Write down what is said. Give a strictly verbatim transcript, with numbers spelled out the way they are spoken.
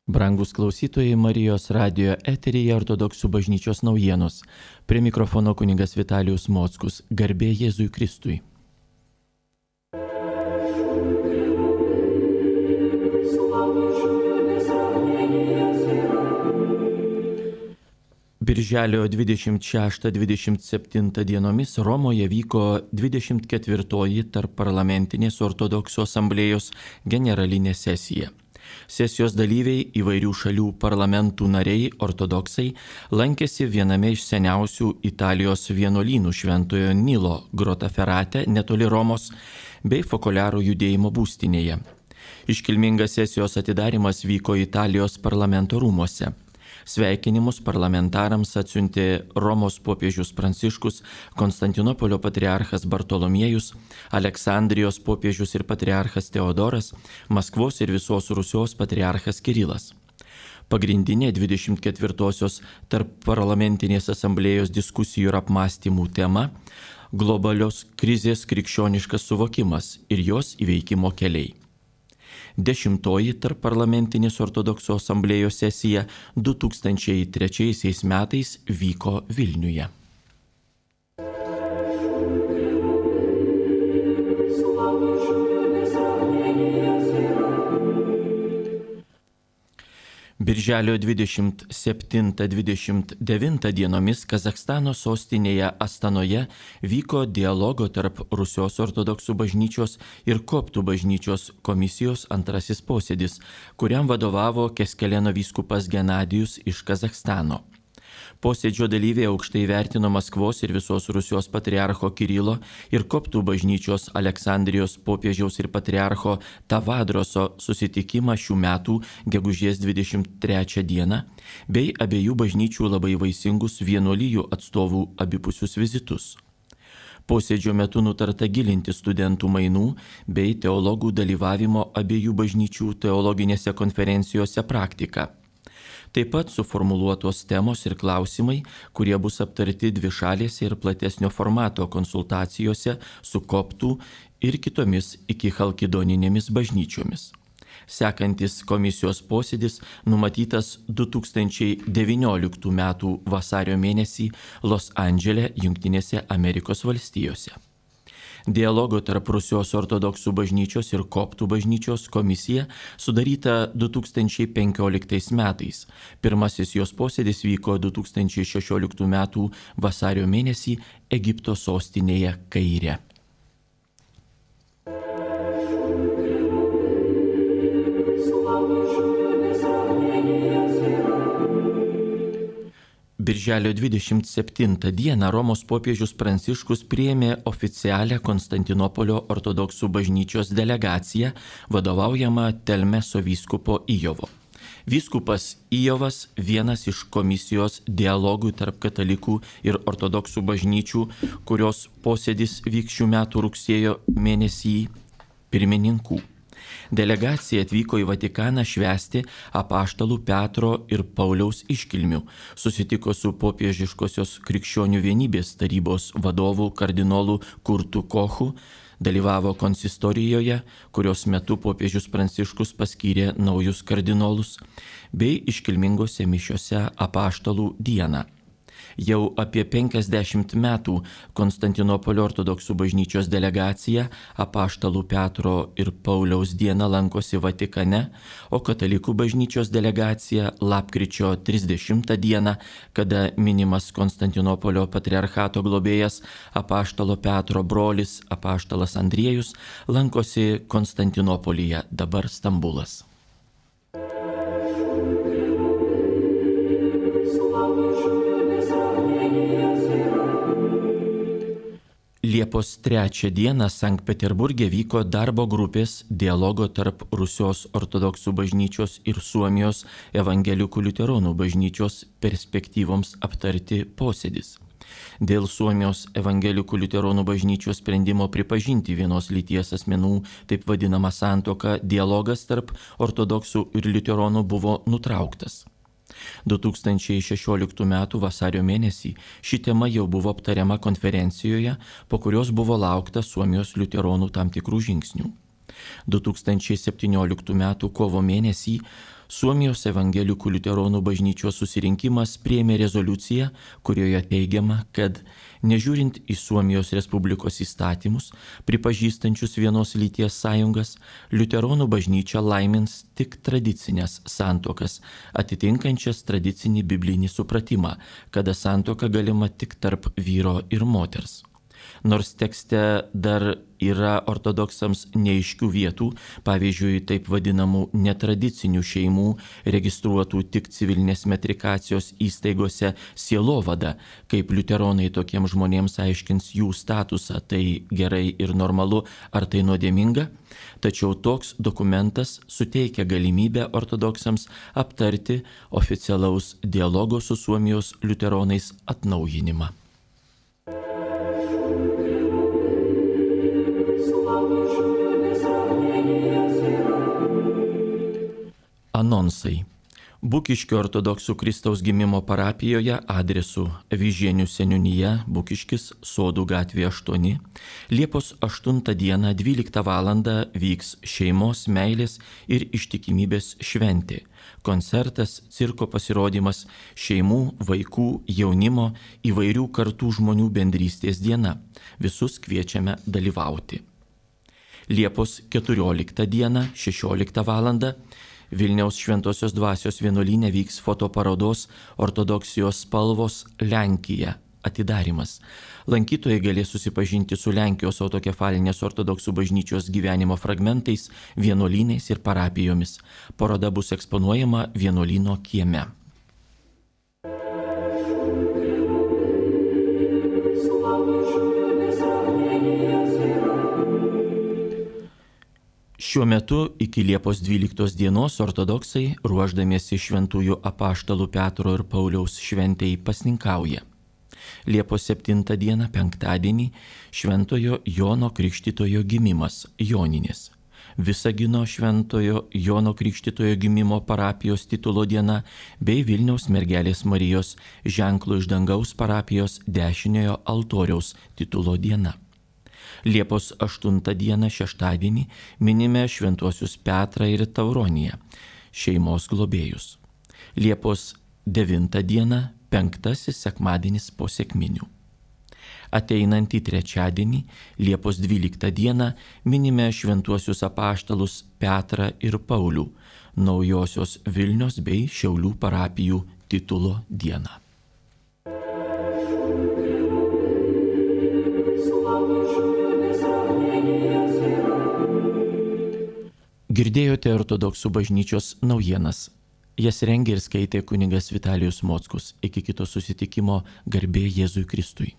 Brangus klausytojai, Marijos radijo eteryje Ortodoksų bažnyčios naujienos. Prie mikrofono kunigas Vitalijus Mockus. Garbė Jėzui Kristui. Birželio dvidešimt šeštą dvidešimt septintą dienomis Romoje vyko dvidešimt ketvirtoji Tarpparlamentinės ortodoksų asamblėjos generalinė sesija. Sesijos dalyviai, įvairių šalių parlamentų nariai, ortodoksai, lankėsi viename iš seniausių Italijos vienuolynų Šventojo Nilo Grotaferrate netoli Romos bei Fokolaro judėjimo būstinėje. Iškilmingas sesijos atidarymas vyko Italijos parlamento rūmuose. Sveikinimus parlamentarams atsiuntė Romos popiežius Pranciškus, Konstantinopolio patriarchas Bartolomiejus, Aleksandrijos popiežius ir patriarchas Teodoras, Maskvos ir visos Rusios patriarchas Kirilas. Pagrindinė dvidešimt ketvirtosios Tarpparlamentinės asamblėjos diskusijų ir apmąstymų tema – globalios krizės krikščioniškas suvokimas ir jos įveikimo keliai. Dešimtoji Tarpparlamentinės ortodoksų asamblėjos sesija du tūkstančiai trečiaisiais metais vyko Vilniuje. Birželio dvidešimt septintą dvidešimt devintą dienomis Kazachstano sostinėje Astanoje vyko dialogo tarp Rusijos ortodoksų bažnyčios ir koptų bažnyčios komisijos antrasis posėdis, kuriam vadovavo Keskeleno vyskupas Genadijus iš Kazachstano. Posėdžio dalyviai aukštai vertino Maskvos ir visos Rusijos patriarcho Kirilo ir koptų bažnyčios Aleksandrijos popiežiaus ir patriarcho Tavadroso susitikimą šių metų gegužės dvidešimt trečią dieną bei abiejų bažnyčių labai vaisingus vienuolijų atstovų abipusius vizitus. Posėdžio metu nutarta gilinti studentų mainų bei teologų dalyvavimo abiejų bažnyčių teologinėse konferencijose praktiką. Taip pat suformuluotos temos ir klausimai, kurie bus aptarti dvišalėse ir platesnio formato konsultacijose su koptų ir kitomis iki chalkidoninėmis bažnyčiomis. Sekantis komisijos posėdis numatytas du tūkstančiai devynioliktų metų vasario mėnesį Los Andžele, Jungtinėse Amerikos valstijose. Dialogo tarp Rusijos ortodoksų bažnyčios ir koptų bažnyčios komisija sudaryta du tūkstančiai penkioliktais metais. Pirmasis jos posėdis vyko du tūkstančiai šešioliktų metų vasario mėnesį Egipto sostinėje Kaire. Birželio dvidešimt septintą dieną Romos popiežius Pranciškus priėmė oficialią Konstantinopolio ortodoksų bažnyčios delegaciją, vadovaujamą Telmeso vyskupo Ijovo. Vyskupas Ijovas vienas iš komisijos dialogų tarp katalikų ir ortodoksų bažnyčių, kurios posėdis vyks šių metų rugsėjo mėnesį pirmininkų. Delegacija atvyko į Vatikaną švęsti apaštalų Petro ir Pauliaus iškilmių, susitiko su popiežiškosios krikščionių vienybės tarybos vadovu kardinolu Kurtu Kochu, dalyvavo konsistorijoje, kurios metu popiežius Pranciškus paskyrė naujus kardinolus, bei iškilmingose mišiose apaštalų dieną. Jau apie penkiasdešimt metų Konstantinopolio ortodoksų bažnyčios delegacija apaštalų Petro ir Pauliaus dieną lankosi Vatikane, o katalikų bažnyčios delegacija lapkričio trisdešimtą dieną, kada minimas Konstantinopolio patriarchato globėjas apaštalo Petro brolis apaštalas Andriejus, lankosi Konstantinopolyje, dabar Stambulas. Liepos trečią dieną Sankt Peterburge vyko darbo grupės dialogo tarp Rusijos ortodoksų bažnyčios ir Suomijos evangelikų liuteronų bažnyčios perspektyvoms aptarti posėdis. Dėl Suomijos evangelikų liuteronų bažnyčios sprendimo pripažinti vienos lyties asmenų taip vadinamą santuoką dialogas tarp ortodoksų ir liuteronų buvo nutrauktas. du tūkstančiai šešioliktų metų vasario mėnesį ši tema jau buvo aptariama konferencijoje, po kurios buvo laukta Suomijos liuteronų tam tikrų žingsnių. du tūkstančiai septynioliktų metų kovo mėnesį Suomijos evangelikų liuteronų bažnyčios susirinkimas priėmė rezoliuciją, kurioje teigiama, kad nežiūrint į Suomijos Respublikos įstatymus, pripažįstančius vienos lyties sąjungas, liuteronų bažnyčia laimins tik tradicinės santuokas, atitinkančias tradicinį biblinį supratimą, kada santuoka galima tik tarp vyro ir moters. Nors tekste dar yra ortodoksams neaiškių vietų, pavyzdžiui, taip vadinamų netradicinių šeimų, registruotų tik civilinės metrikacijos įstaigose sielovada, kaip liuteronai tokiems žmonėms aiškins jų statusą, tai gerai ir normalu, ar tai nuodėminga, tačiau toks dokumentas suteikia galimybę ortodoksams aptarti oficialaus dialogo su Suomijos liuteronais atnaujinimą. Anonsai. Bukiškio ortodoksų Kristaus gimimo parapijoje adresu Vyžienių seniūnija, Bukiškis, Sodų gatvė aštuoni, Liepos aštuntą dieną dvyliktą valandą vyks šeimos, meilės ir ištikimybės šventė. Koncertas, cirko pasirodymas, šeimų, vaikų, jaunimo, įvairių kartų žmonių bendrystės diena. Visus kviečiame dalyvauti. Liepos keturioliktą dieną, šešioliktą valandą, Vilniaus Šventosios dvasios vienuolyne vyks fotoparodos Ortodoksijos spalvos Lenkija atidarymas. Lankytojai galės susipažinti su Lenkijos autokefalinės ortodoksų bažnyčios gyvenimo fragmentais, vienuolynais ir parapijomis. Paroda bus eksponuojama vienuolyno kieme. Šiuo metu iki Liepos dvyliktos dienos ortodoksai, ruošdamiesi šventųjų apaštalų Petro ir Pauliaus šventei, pasninkauja. Liepos septintą dieną, penktadienį, Šventojo Jono Krikštytojo gimimas, Joninės. Visagino Šventojo Jono Krikštytojo gimimo parapijos titulo diena bei Vilniaus mergelės Marijos ženklo iš dangaus parapijos dešiniojo altoriaus titulo diena. Liepos aštuntą dieną, šeštadienį, minime šventuosius Petrą ir Tauroniją, šeimos globėjus. Liepos devintą dieną, penktasis sekmadienis po sekminių. Ateinantį trečiadienį, Liepos dvyliktą dieną, minime šventuosius apaštalus Petrą ir Paulių, Naujosios Vilnios bei Šiaulių parapijų titulo dieną. Girdėjote ortodoksų bažnyčios naujienas. Jas rengė ir skaitė kunigas Vitalijus Mockus. Iki kito susitikimo, garbė Jėzui Kristui.